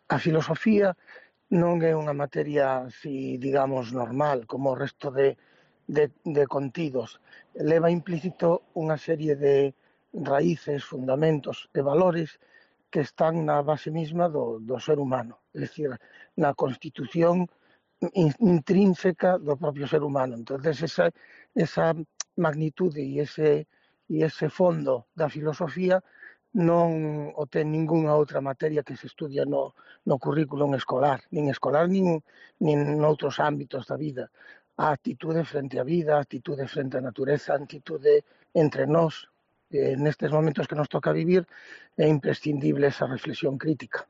A filosofía non é unha materia así, digamos, normal, como o resto de contidos. Leva implícito unha serie de raíces, fundamentos e valores que están na base misma do ser humano, é dicir, na constitución intrínseca do propio ser humano. Entonces, esa magnitude e ese fondo da filosofía non o ten ningunha outra materia que se estudia no currículum escolar, nin noutros ámbitos da vida. A actitude frente á vida, a actitude frente á natureza, a actitude entre nós, nestes momentos que nos toca vivir, é imprescindible esa reflexión crítica.